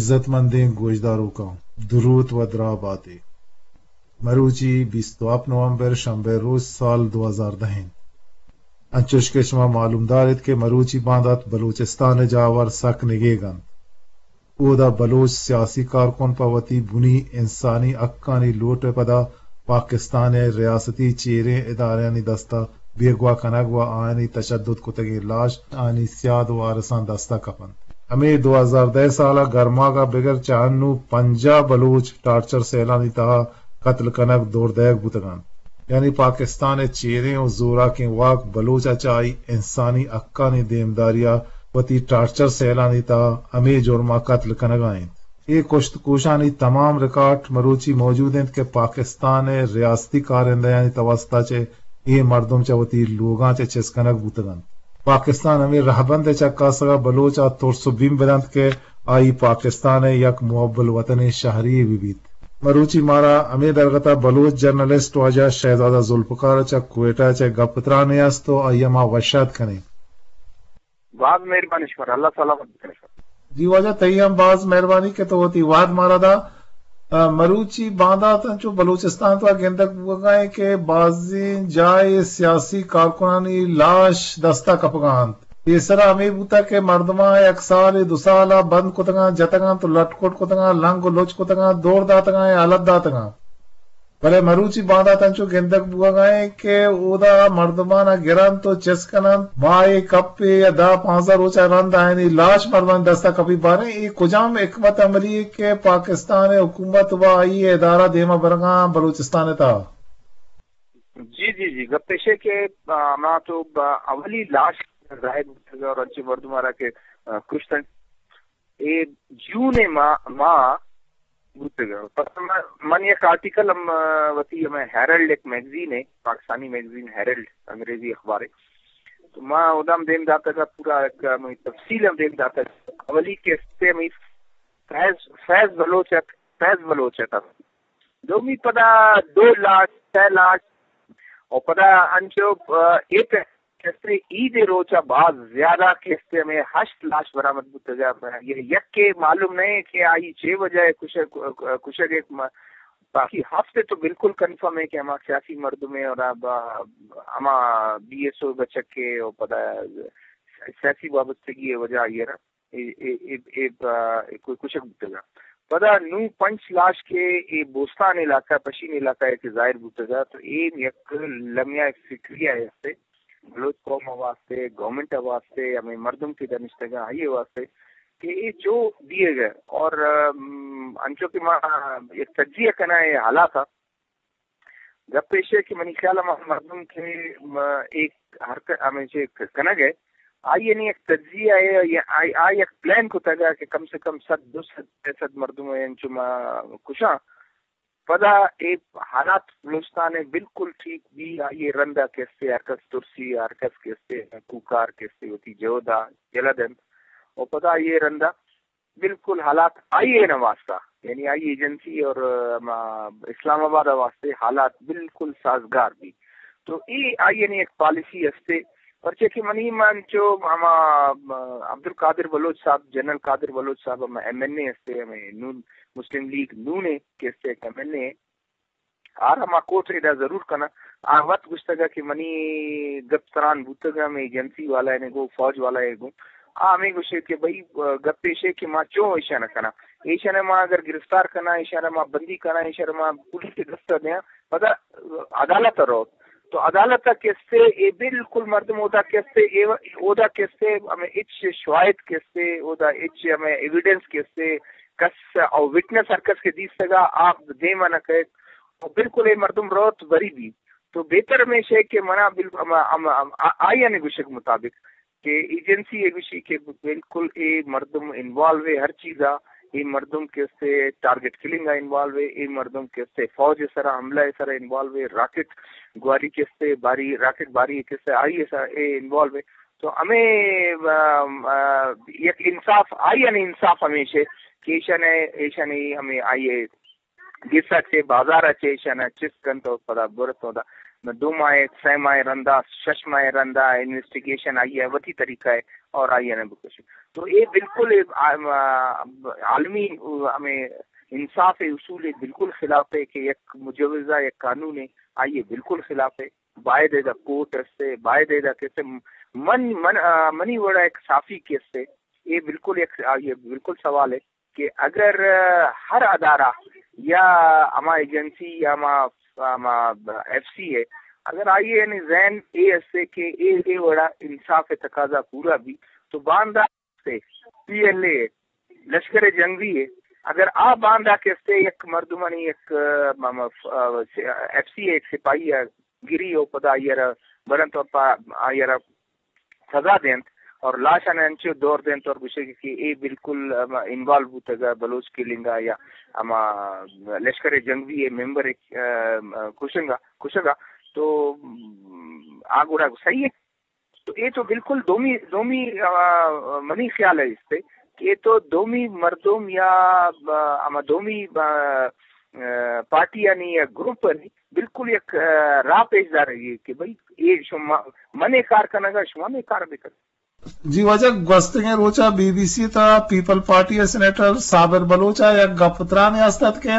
عزت مندیں گوشداروکاں، دروت و دراہ باتے۔ مروچی بیست و ہپت نومبر، شنبہ روچ، سال دو ہزار دہ انت۔ انچوش کہ شما معلومدار ات کہ مروچی باندات بلوچستان ء جاور سک نگیگ انت۔ اودا بلوچ سیاسی کارکن پہ وتی بنی انسانی حقانی لوٹ ء پدا پاکستان ء ریاستی چیریں ادارہانی دستا بیگواہ کنگ و آیانی تشدد کتگیں لاش آیانی سیاد و وارثاں دستا کپنت۔ ہمے دو ہزار دہ سال ء گرماگ ء بگر چہ انو پنجاہ بلوچ ٹارچر سیلانی تہا قتل کنگ، دور دئیگ بوتگ انت۔ یعنی پاکستان ء چیریں و زوراکیں واک بلوچ ء چہ آئی انسانی حقانی دیمداری ء وتی ٹارچر سیلانی تہا ہمے جرم ء قتل کنگ ء انت۔ اے کشت کوشانی تمام ریکارڈ مروچی موجود انت کہ پاکستان ء ریاستی کارندہانی توسط ء چہ اے مردم چہ وتی لوگاں چہ چست کنگ بوتگ انت۔ پاکستان ہمے رہبند ء چکاسگ ء بلوچ ء ترس و بیم بدنت کہ آئی پاکستان ء یک محب الوطنیں شہری یے بہ بیت۔ مروچی مارا ہمے درگت ء بلوچ جرنلسٹ واجہ شہزادہ ذوالفقار ء چہ کوئٹہ ء چہ گپ ء ترانے است و آئی ء ما وش آت کنیں۔ باز مہربانی شمارا، اللہ سلامت بکنت۔ جی واجہ، تئی ہم باز مہربانی کہ تو وتی وہد مارا دا۔ ء، مروچی باندات انچو بلوچستان تو گندگ بوگا ہیں کہ بازیں جائے سیاسی کارکنانی لاش دستا کپگا انت۔ پیسرا ہمے بوتا کہ مردماں یک سال، دو سال بند کتگاں، جتگاں تو لٹ کٹ کتگاں، لنگ و لچ کتگاں، دور داتگاں یا حالت داتگاں۔ بلے مروچی باندات انچو گندگ بوگا ہیں کہ اودا مردمان گرنت و چست کننت، ماہے کپے یا دہ پانزدہ روچا رند آیانی لاش مردمانی دستا کپی۔ باریں اے کجام حکمت عملی ہے کہ پاکستان حکومت و آئی ادارہ دیما برگاں بلوچستان تا؟ جی، جی، جی، گپ ایش ہے کہ، آ، ما تو با اولی لاش ظاہر بوتگ اور انچے مردم آرا کہ، آ، کشتن۔ اے جون ء ماہ، ماہ بوتگ۔ پس من، من یک آرٹیکل ہم، آ، وتی ہمے ہیرلڈ، ایک میگزین ہے، پاکستانی میگزین ہیرلڈ، انگریزی اخبار ہے۔ تو ما ادا ہم دیم داتگ، پورا ایک ہمے تفصیل ہم دیم داتگ۔ اولی قسط ہمے فیض، فیض بلوچ ات، فیض بلوچ ات۔ دومی پدا دو لاش، سہ لاش، اور پدا انچو، آ، ایک کسے عید ء روچ ء باز زیادہ کسے ہمے ہشت لاش برآمد بوتگ ء، یہ یکے معلوم نہیں کہ آئی چے وجہ ء کشگ، کشگ ء، باقی ہفت ء تو بالکل کنفرم ہے کہ ہما سیاسی مردم ء اور اب ہما بی ایس او بچک ء اور پدا سیاسی وابستگی ء وجہ آئی ء را اے، اے، اے، اے، آ، اے کوئی کشگ بوتگ۔ پدا نوں پنچ لاش کہ اے بوستان علاقہ، پشین علاقہ ء کہ ظاہر بوتگ، تو اے یک لمحہ فکری ء ہستے، بلوچ قوم ء واسطے، گورنمنٹ ء واسطے، ہمے مردم کہ دنشتگاں آئی ء واسطے کہ اے چو دیگ ء اور، ام، انچو کہ ما یک تجزیہ کناں اے حالات ء، گپ ایش ہے کہ منی خیال ء ما مردم کہ، م، ایک حرکت ہمیشہ کنگ ہے، آئی یعنی یک تجزیہ ہے یا آئی، آئی یک پلان کتگ کہ کم سے کم صد، دو صد، سئے صد مردم ہے انچو ما کشاں۔ پدا اے حالات بلوچستان ء بالکل ٹھیک بی، آئی ء رندا کسے ہر کس ترسی، ہر کس کسے کوکار کسے وتی جہد ء یلہ دنت۔ و پدا آئی ء رندا بالکل حالات آئی ء نہ واسطہ، یعنی آئی ایجنسی اور، آ، ہما اسلام آباد ء واسطے حالات بالکل سازگار بی۔ تو اے آئی ء یک پالیسی ہستے، پرچہ کہ منی من چو ہما، آ، عبدالقادر بلوچ صاحب، جنرل قادر بلوچ صاحب ہما ایم این اے ہستے، ہمے نون، مسلم لیگ نون ء کہ ہستے ایک ایم این اے، آ را ما کوٹ ادا ضرور کناں۔ آ وت گوشتگ کہ منی گپ تران بوتگ، ہمے ایجنسی والا نے گوں، فوج والا نے گوں۔ آ ہمے گوشے کہ بھئی، گپ ایشے کہ ما چوں ایشاں نہ کناں۔ ایشاں ما اگر گرفتار کناں، ایشاں ما بندی کناں، ایشاں ما پولیس دست دیاں، پدا عدالت روت۔ تو عدالت کسے اے بالکل مردم ہوتا کسے اے، اودا کسے ہمے اچ شواہد کسے، اودا اچ ہمے ایویڈنس کسے، کس او وٹنس ہر کس کہ دیستگا آپ دیما نہ کئے۔ و بالکل اے مردم روت بری بی۔ تو بہتر ہمیش ہے کہ منا بال-، ہم، ہم، ہم، آ-، آئی نے گوشگ مطابق کہ ایجنسی اے گوشی کہ بالکل اے مردم انوالو ہے ہر چیزا، اے مردم کسے ٹارگٹ کلنگ آ انوالو ہے، اے مردم کسے فوج سرا حملہ سرا انوالو ہے، راکٹ گواری کسے باری، راکٹ باری کسے آئی سرا اے انوالو ہے۔ تو ہمے، آ، آ، یک انصاف، آئی نے انصاف ہمیش ہے کہ ایشاں نے، ایشاں نے ہمے آئی گس ء چہ بازار ء چہ ایشاں چست کنت و پدا برت و دا۔ دو ماہ، سہ ماہ رندا، شش ماہ رندا انویسٹیگیشن آئی ء وتی طریقہ ء اور آئی ء نہ بکشی۔ تو اے بالکل اے، آ، آ، عالمی، آ، ہمیں انصاف اصول بالکل خلاف ہے کہ یک مجوزہ، یک قانون ہے، آئی ء بالکل خلاف ہے۔ باید ادا کورٹ استے، باید ادا کسے من، من، آ، منی وڑا ایک صافی کسے، اے بالکل ایک، آ، یہ بالکل سوال ہے کہ اگر، آ، ہر ادارہ یا ہما ایجنسی یا ہما، ہما ایف سی ہے، اگر آئی یعنی ذہن اے استے کہ اے، اے وڑا انصاف تقاضا پورا بھی، تو باندا سے پی ایل اے، لشکر جنگی ہے، اگر آ باندا کسے یک مردمانی یک، آ، م-، م-، آ، ایف سی ایک سپاہی ہے، گری او پدا آئی ء را بلند طور پہ آئی ء را سزا دینت اور لاش آناں انچو دور دینت اور گوشگ کہ اے بالکل ہما انوالو بوتگ ء بلوچ کلنگ ء یا ہما لشکر جنگی ء ممبر ء، ام، کشنگ ء، کشگ ء۔ تو، ام، آ گڑا صحیح ہے۔ تو اے تو بالکل دومی، دومی، آ، منی خیال ہے اس پہ کہ اے تو دومی مردم یا، آ، ہما دومی، آ، آ، پارٹی یعنی یا گروپ یعنی بالکل یک، آ، راہ پیش دارگی کہ بھئی، اے شما، من اے کار کنگا، شما ہمے کار بکن۔ جی واجہ، گوستگیں روچا بی بی سی تا پیپل پارٹی ء سینیٹر صابر بلوچ ء یک گپ ترانے است ات کہ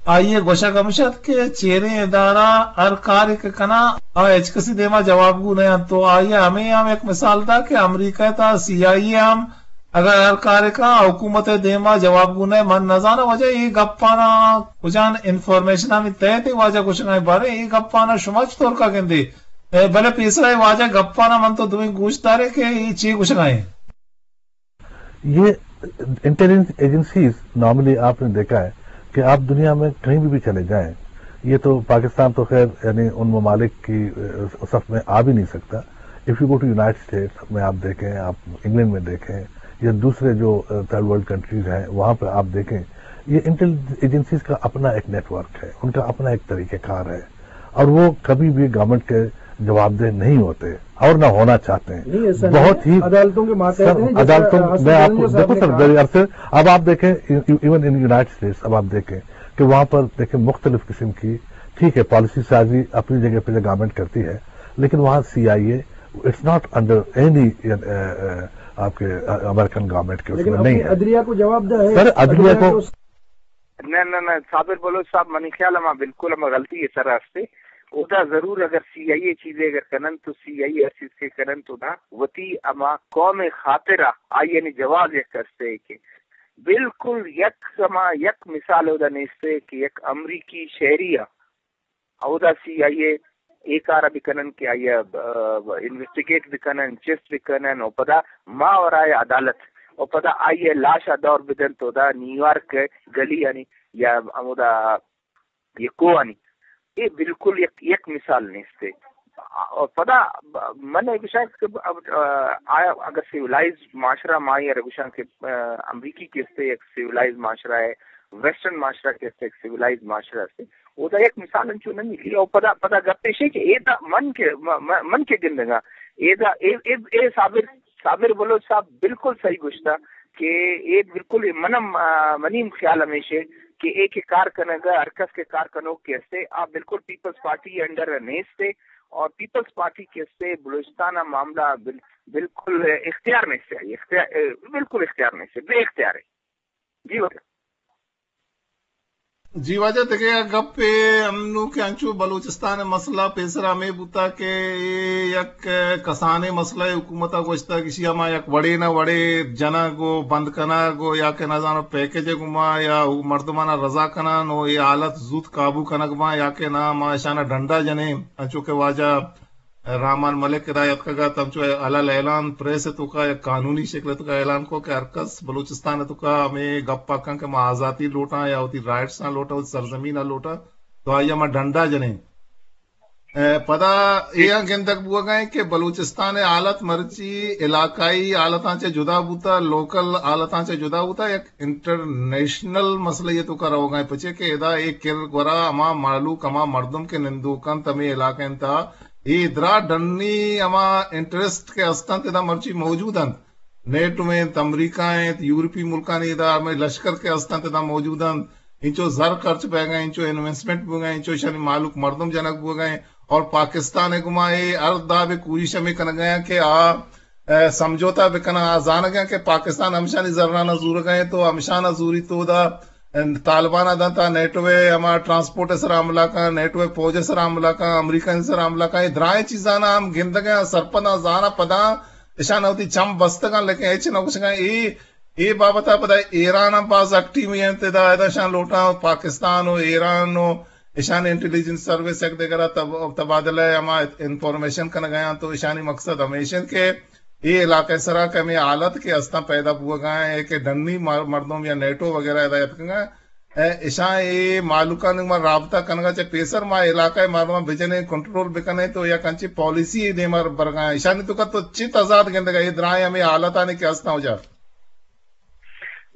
آئی ء گوشگ ہمش ات کہ چیریں ادارہ ہر کارے کہ کناں، آ ہچ کسی دیما جوابگو نہ انت۔ تو آئی ء ہمے ہم یک مثال دا کہ امریکہ ء تہا سی آئی اے ہم اگر ہر کارے کناں، حکومت ء دیما جوابگو نہ، من نہ زاناں واجہ اے گپاناں کجان انفارمیشنانی تحت اے واجہ گوشگ ء، باریں اے گپاناں شما چطور کا گندے؟ اے، بلے پیسرا اے واجہ گپاناں من تو دوئیں گوش داریں کہ اے چے گوشگ ء۔ یہ انٹیلیجنس ایجنسیز، نارملی آپ نے دیکھا ہے کہ آپ دنیا میں کہیں بھی، بھی چلے جائیں، یہ تو پاکستان تو خیر، یعنی ان ممالک کی، اے، صف میں آ بھی نہیں سکتا۔ If you go to United States میں آپ دیکھیں، آپ انگلینڈ میں دیکھیں یا دوسرے جو، اے، تھرڈ ورلڈ کنٹریز ہیں، وہاں پہ آپ دیکھیں، یہ انٹیلیجنس ایجنسیز کا اپنا ایک نیٹ ورک ہے، ان کا اپنا ایک طریقہ کار ہے۔ اور وہ کبھی بھی گورنمنٹ کے جوابدہ نہیں ہوتے اور نہ ہونا چاہتے ہیں۔ نہیں، ایسا نہیں بہت ہے۔ ہی عدالتوں کے ماتحت سر، ہیں، جیسا عدالتوں، میں آپ کو، دیکھو سر، میں آپ کو، اب آپ دیکھیں، ایون ان یونائیٹڈ اسٹیٹس، اب آپ دیکھیں کہ وہاں پر، دیکھیں، مختلف قسم کی، ٹھیک ہے، پالیسی سازی اپنی جگہ پہ گورنمنٹ کرتی ہے، لیکن وہاں سی آئی اے، it's not under any، آپ کے، امریکن گورنمنٹ کے اس میں نہیں ہے۔ عدلیہ کو جواب دہ ہے۔ سر، عدلیہ کو نہ، نہ، نہ، صابر بلوچ صاحب، منی خیال ہما بالکل ہما غلطی ء سرا استے۔ اودا ضرور اگر سی آئی اے چیزے اگر کنن تو سی آئی اے ہر چیز کے کنن تو دا وتی ہما قوم خاطرا آئی یعنی جواز یک استے کہ بالکل یک ہما یک مثال اودا نیستے کہ یک امریکی شہری ء اودا سی آئی اے اے کار ء بکنن کہ آئی ء، آ، انویسٹیگیٹ بکنن، چست بکنن و پدا ماورائے عدالت و پدا آئی ء لاش ء دور بدنت و دا نیویارک ء گلی آنی یا ہمودا یہ کوہ آنی۔ اے بالکل یک، یک مثال نیست۔ و پدا من اے گشاں کہ اب، آ، آیا اگر سیولائزڈ معاشرہ ما اے گشاں کہ، آ، امریکی کستے یک سیولائزڈ معاشرہ ہے، ویسٹرن معاشرہ کستے یک سیولائزڈ معاشرہ ہے، اودا یک مثال انچو نہ ملی۔ او پدا، پدا گپ ایشے کہ اے دا من کے، م-، م-، من کے گندگا، اے دا، اے، اے، اے صابر، صابر بلوچ صاحب بالکل صحیح گوشتا کہ اے بالکل اے منم، آ، منیم خیال ہمیشے کہ اے کے کار کنگا، ہر کس کے کار کنوک کے استے، آ بالکل پیپلز پارٹی انڈر نیستے اور پیپلز پارٹی کے استے بلوچستان معاملہ بل-، بالکل اختیار نیستے، اختیار، بالکل اختیار نیستے، بے اختیار ہے۔ جی واجہ۔ جی واجہ، دگہ یک گپے ہم نوں کہ انچو بلوچستان ء مسئلہ پیسر ہمے بوتا کہ اے یک کسانیں مسئلہ ء، حکومت ء گوشتگ کہ ایشی ء ما یک وڑے نہ وڑے جنگ و بند کنگ و یا کہ نزانو پیکج ء گوما یا مردماناں رضا کنان و اے حالت زوت قابو کنگ باں یا کہ نا ما اشاناں ڈنڈا جنیں، انچو کہ واجہ رحمان ملک ادا اتکگ ات، ہمچو الل اعلان پریس ء توکا یک قانونی شکل ء توکا اعلان کو کہ ہر کس بلوچستان ء توکا ہمے گپ ء کن کہ ما آزاتی لوٹاں یا وتی رائٹس آں لوٹاں، وتی سرزمین ء لوٹاں، تو آئی ء ما ڈنڈا جنیں۔ ء پدا اے ہم گندگ بوگ ء انت کہ بلوچستان ء حالت مرچی علاقائی حالتاں چہ جدا بوتا، لوکل حالتاں چہ جدا بوتا، یک انٹرنیشنل مسئلہ ء توکا روگ ء انت، پچے کہ ادا اے کر گورا ہما مہلوک، ہما مردم کہ نندوک انت ہمے علاقہ انت، اے درا ڈنی ہما انٹرسٹ کہ است انت، ادا مرچی موجود انت۔ نیٹو انت، امریکہ انت، یورپی ملکانی ادا ہمے لشکر کہ است انت، ادا موجود انت۔ انچو زر خرچ بیگ ء، انچو انویسٹمنٹ بوگ ء، انچو اشانی مہلوک مردم جنگ بوگ ء، اور پاکستان ءِ گما اے ہر دابے کوشش ہمے کنگ ءَ کہ آ، اے، سمجھوتہ بکناں۔ آ زانگ ءَ کہ پاکستان ہمشانی زراناں زورگ ءَ اِنت، تو ہمشاناں زوری تو دا، اے، طالبان ءَ دنت، نیٹو ءِ ہما ٹرانسپورٹ ءِ سرا حملہ کن، نیٹو ءِ فوج ءِ سرا حملہ کن، امریکہ ءِ سرا حملہ کن، اے درائیں چیزاناں ہم گندگ ءَ سرپداں زاناں پداں اشان وتی چم بستگاں، لیکن ہچ نہ گوشگاں۔ اے، اے بابت ءَ پدا ایران ہم باز ایکٹیو اِنت ادا، ادا اشان لوٹاں پاکستان و ایران و اشان انٹیلیجنس سروس یک دگرا تب-، تبادلہ ہما انفارمیشن کنگ ءَ اَنت، تو اشانی مقصد ہمیش اِنت کہ اے علاقہ سرا کہ ہمے حالت کہ استاں پیدا بوگ ءَ اِنت کہ ڈنی مر-، مردم یا نیٹو وغیرہ ادا اتکگ اَنت، اے، اشاں اے مہلوکانی ما رابطہ کنگا چہ پیسر ما علاقہ ءِ مردماں بجنیں، کنٹرول بکنیں، تو یک انچیں پالیسی ءِ دیما برگا ایں۔ اشانی توکا تو چی تضاد گندگا اے درائیں ہمے حالتانی کہ ہستاں اجا؟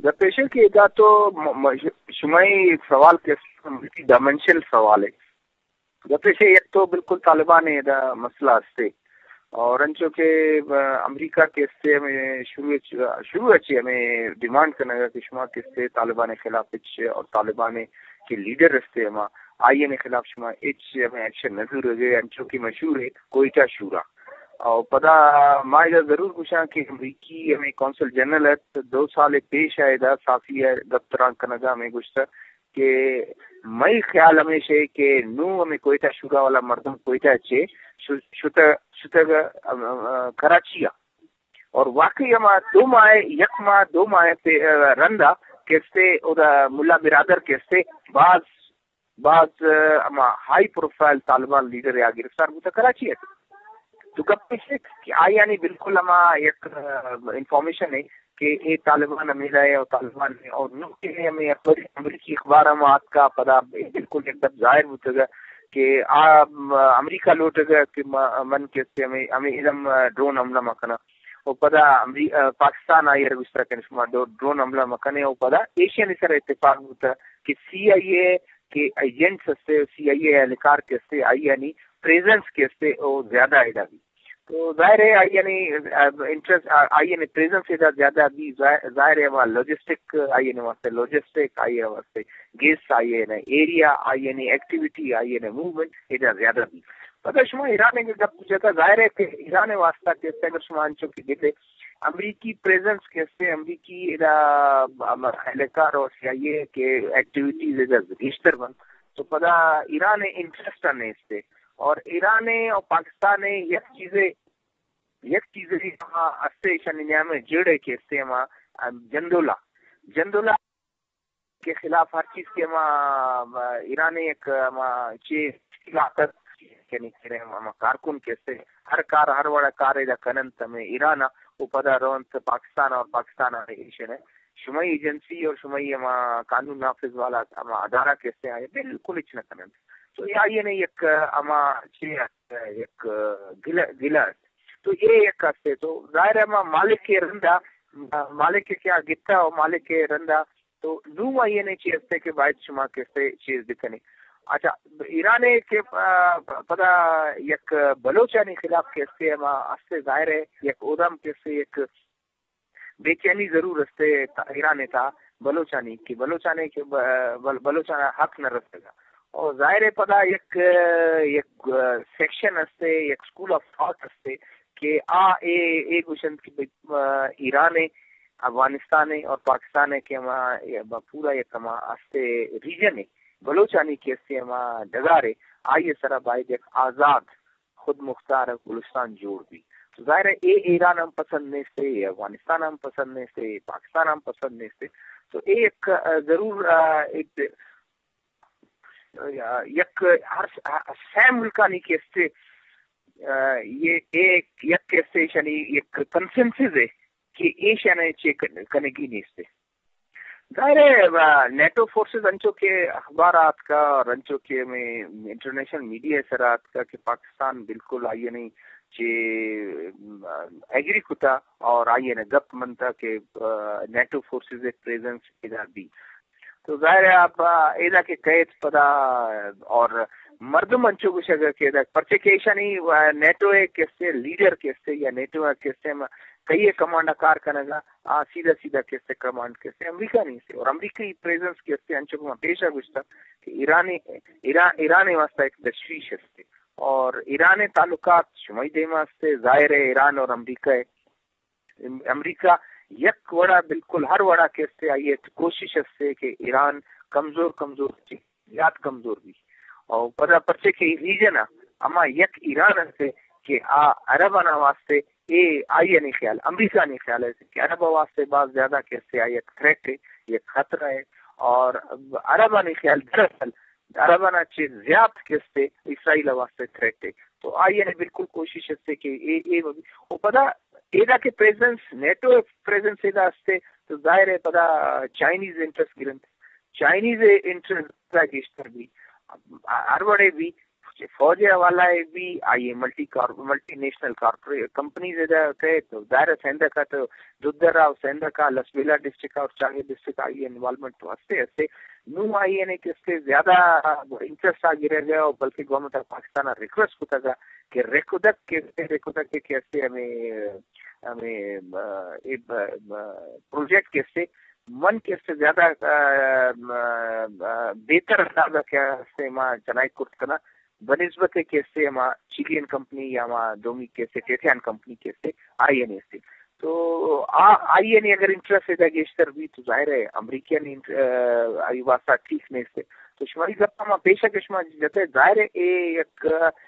گپ ایش کہ ادا تو م-، م-، شمئی سوال کہ ملٹی ڈائمنشنل سوال ہے۔ گپ ایش یک تو بالکل طالبان ءِ ادا مسئلہ ہستے۔ اور انچو کہ، آ، امریکہ کہ استے ہمیں شروع اچ-، شروع اچ ہمیں ڈیمانڈ کنگا کہ شما کہ استے طالبان ءِ خلاف اچ اور طالبان ءِ کہ لیڈر استے ہما آئی ءِ خلاف شما اچ ہمیں ایکشن نہ زورگے، انچو کہ مشہور ہے کوئٹہ شورا۔ اور پدا ما ادا ضرور گوشاں کہ امریکی ہمیں قونصل جنرل ہے، دو سال پیش آئے دا صحافی ءَ گپ تران کنگا ہمیں گوشتا کہ مئی خیال ہمیش ہے کہ نوں ہمیں کوئٹہ شورا والا مردم کوئٹہ چے شو-، شتگ، شتگ، ام، ام، کراچی ءَ۔ اور واقعی ہما دو ماہ، یک ماہ، دو ماہ پہ، آ، رندا کہ استے ادا ملا برادر کہ استے باز، باز، آ، ہما ہائی پروفائل طالبان لیڈر یا گرفتار بوتا کراچی ءَ۔ تو گپ ایش کہ آیانی بالکل ہما یک، آ، انفارمیشن ہے کہ اے طالبان ہمیدا ہے اور طالبان ہے اور نو کہ ہمیں اخبار، امریکی اخبار ہم آتکا پدا بالکل یک دپ ظاہر بوتگا کہ آ، م-، امریکہ لوٹگا کہ م-، من کہ استے ہمیں، ہمیں ادم، آ، ڈرون حملہ مکناں۔ و پدا امری-، آ، پاکستان آئی ءَ گوشتگ کہ شما ڈو-، ڈرون حملہ مکنے و پدا ایشانی سر اتفاق بوتگ کہ سی آئی اے کہ ایجنٹس ہستے، سی آئی اے اہلکار کہ ہستے، آئی یعنی پریزنس کہ ہستے، او زیادہ ادا بھی۔ تو ظاہر ہے آئی یعنی، آ، انٹرسٹ، آ، آئی یعنی پریزنس ادا زیادہ بھی، ظاہر، ظاہر ہے ہما لاجسٹک آئی یعنی واسطے، لاجسٹک آئی یعنی واسطے، گیس آئی یعنی ایریا، آئی یعنی ایکٹیویٹی، آئی یعنی موومنٹ ادا زیادہ بھی۔ پدا شما ایران ءِ گپ جتا، ظاہر ہے کہ ایران ءِ واسطہ کہ استے اگر شما انچو کہ گندے امریکی پریزنس کہ استے، امریکی ادا ہم اہلکار اور سی آئی اے کہ ایکٹیویٹیز ادا گیشتر بنت، تو پدا ایران ءِ انٹرسٹ نیستے۔ اور ایران ءِ اور پاکستان ءِ یک چیزے، یک چیزے ہما استے ایشانی نیام ءَ جڑ ہے کہ استے ہما جندولا، جندولا کے خلاف ہر چیز کہ ہما، ہما ایران ءِ یک ہما چے تشکیلات است، یعنی کہ ہما کارکن کہ استے ہر کار، ہر وڑا کار ادا کننت ہمیں ایران ءَ، و پدا رونت پاکستان ءَ اور پاکستان ءَ ایشن ہے شمئی ایجنسی اور شمئی ہما قانون نافذ والا ہما ادارہ کہ استے آئے بالکل ہچ نہ کننت۔ تو یہ آئی نے یک ہما چے است، یک گلہ، گلہ است۔ تو یہ یک استے تو ظاہر ہے ہما مالک کے رندا، مالک کے کیا گتا ہو، مالک کے رندا تو نوں آئی نے چی استے کہ باید شما کسے چیز بکنے۔ اچھا، ایران ءِ کہ، آ، پدا یک بلوچانی خلاف کہ استے ہما استے ظاہر ہے یک اودام کہ استے یک بے چینی ضرور استے تا-، ایران ءِ تا بلوچانی کہ بلوچانی کہ ب-، بل-، بلوچانا حق نہ رسگا۔ اور ظاہر ہے پدا یک، یک سیکشن استے، یک اسکول آف تھاٹ استے کہ آ اے، اے گوشنت کہ بھئی، آ، ایران ءِ افغانستان ءِ اور پاکستان ءِ کہ ہما، پورا یک ہما استے ریجن ءِ بلوچانی کہ استے ہما ڈگار ءِ آئی ءِ سرا باید یک آزاد خود مختار بلوچستان جوڑ بی۔ تو ظاہر ہے اے ایران ہم پسند نیستے، اے افغانستان ہم پسند نیستے، اے پاکستان ہم پسند نیستے۔ تو اے یک، آ، ضرور، آ، ایک، آ، یک ہر س-، آ، سہ ملکانی کہ استے، آ، یہ ایک، یک کہ استے شنی یک کنسنسس ہے کہ ایشانے چے کن-، کنگی نیستے۔ ظاہر ہے، آ، نیٹو فورسز انچو کہ اخبار آتکا اور انچو کہ ہمیں انٹرنیشنل میڈیا سر آتکا کہ پاکستان بالکل آئی نے چے، آ، ایگری کتا اور آئی نے گپ منتا کہ، آ، نیٹو فورسز پریزنس ادا بی۔ تو ظاہر ہے آپ، آ، ادا کہ کئیت پدا اور مردم انچو گوشگ کہ ادا پرچے کہ ایشانی، آ، نیٹو ءِ کسے لیڈر کسے یا نیٹو ءِ کسے ہم کئی ءِ کمانڈ ءَ کار کنگ ءَ، آ سیدھا سیدھا کسے کمانڈ کسے امریکہ نیستے اور امریکی پریزنس کسے انچو کہ ما پیشا گوشتا کہ ایرانی، ایران، ایران ءِ واسطہ ایک تشویش ہستے۔ اور ایران ءِ تعلقات شمئی دیما استے، ظاہر ہے ایران اور امریکہ ہے۔ ام-، امریکہ یک وڑا، بالکل ہر وڑا کہ استے آئی ءِ کوشش استے کہ ایران کمزور کمزور چی زیات کمزور بی۔ اور پدا پرچے کہ ریجن ہما یک ایران استے کہ آ عربانا واسطے اے آئی ءِ خیال، امریکہ نی خیال ہے کہ عرب واسطے باز زیادہ کہ استے آ یک تھریٹ ہے، یک خطرہ ہے۔ اور عربانی خیال دراصل عربانا چہ زیات کہ استے اسرائیل واسطے تھریٹ ہے۔ تو آئی ءِ بالکل کوشش استے کہ اے، اے مبی۔ و پدا ایدا کہ پریزنس، نیٹو پریزنس ایدا استے، تو ظاہر ہے پدا چائنیز انٹرسٹ گرنت۔ چائنیز انٹرسٹ گیشتر بی۔ ہر وڑے بی، فوج ءِ حوالہ ءَ بی، آئی ءِ ملٹی کار-، ملٹی نیشنل کارپوریٹ کمپنیز ادا کئیت، ظاہر ہے سندھ ءَ تو دودرہ و سندھ ءَ لسبیلہ ڈسٹرکٹ اور چاغی ڈسٹرکٹ آئی ءِ انوالومنٹ تو ہستے ہستے۔ نوں آئی ءَ کہ استے زیادہ انٹرسٹ آ گرگ ءَ، بلکہ گورنمنٹ آف پاکستان ءَ ریکویسٹ کتگ کہ ریکودک کہ استے، ریکودک کہ استے ہمیں، ہمیں، آ، اے ب-، ب-، پروجیکٹ کہ استے من کہ استے زیادہ، آ، آ، بہتر انداز ءَ کہ استے ما چنائی کرت کنا، بنسبت کہ استے ہما چیلین کمپنی یا ہما دومی کہ استے ٹیٹیان کمپنی کہ استے آئی ءَ نیستے۔ تو آ-، آئی ءَ نی اگر انٹرسٹ ادا گیشتر بی تو ظاہر ہے امریکہ نی انٹ-، آ، آئی واسطہ ٹھیک نیستے۔ تو شماری گپ ما پیشہ کہ شما جتے، ظاہر ہے اے یک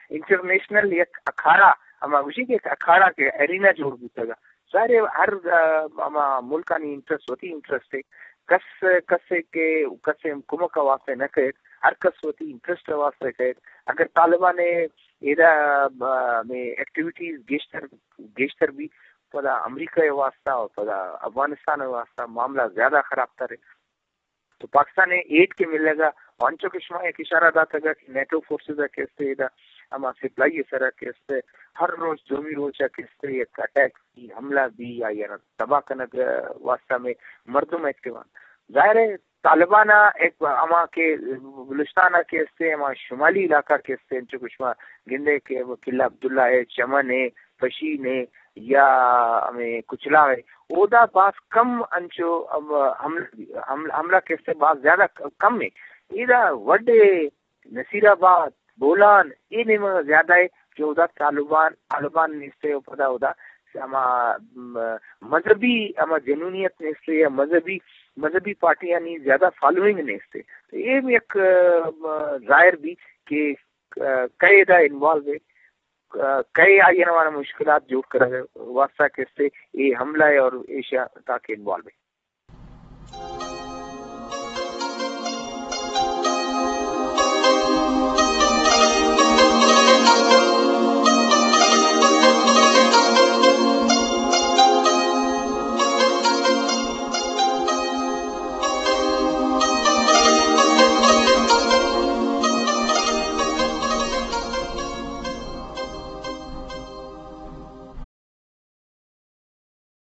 انٹرنیشنل یک اکھاڑا، ہما گوشی کہ یک اکھاڑا کہ ارینا جوڑ بوتگا۔ ظاہر ہے ہر، آ، ہما ملکانی انٹرسٹ وتی انٹرسٹ ہے۔ کس، کسے کہ، کسے کمک ءِ واسطے نہ کئیت، ہر کس وتی انٹرسٹ ءِ واسطے کئیت۔ اگر طالبان ءِ ایدا، آ، ہمیں ایکٹیویٹیز گیشتر، گیشتر بی، پدا امریکہ ءِ واسطہ اور پدا افغانستان ءِ واسطہ معاملہ زیادہ خراب تر ہے۔ تو پاکستان ءِ ایڈ کہ ملگ ءَ، انچو کہ شما یک اشارہ داتگ ءَ کہ نیٹو فورسز ءَ کہ استے ادا ہما سپلائی ءِ سرا کہ استے ہر روچ، دومی روچ ءَ کہ استے یک اٹیک بی، حملہ بی، آئی ءَ را تباہ کنگ ءِ واسطہ ہمیں مردم ایکٹیو آں۔ ظاہر ہے طالبان ءَ ایک ہما کہ بلوچستان ءَ کہ استے ہما شمالی علاقہ کہ استے، انچو کہ شما گندے کہ قلعہ عبداللہ ہے، چمن ہے، پشین ہے یا ہمیں کچلا ہے، اودا باز کم انچو ہم-، حملہ، حملہ، حملہ کہ استے باز زیادہ ک-، کم ہے۔ ایدا وڈے نصیر آباد، بولان، اے نیمگ زیادہ ہے کہ اودا طالبان، طالبان نیستے و پدا اودا ہما، م-، مذہبی ہما جنونیت نیستے یا مذہبی، مذہبی پارٹیانی زیادہ فالوئنگ نیستے۔ تو اے بھی یک، م-، ظاہر بھی کہ، ک-، کئے دا انوالو ہے، ک-، کئے آئی ءَ را مشکلات جوڑ کرگ ءِ واسطہ کہ استے اے حملہ ہے اور ایشا تاکہ انوالو ہے۔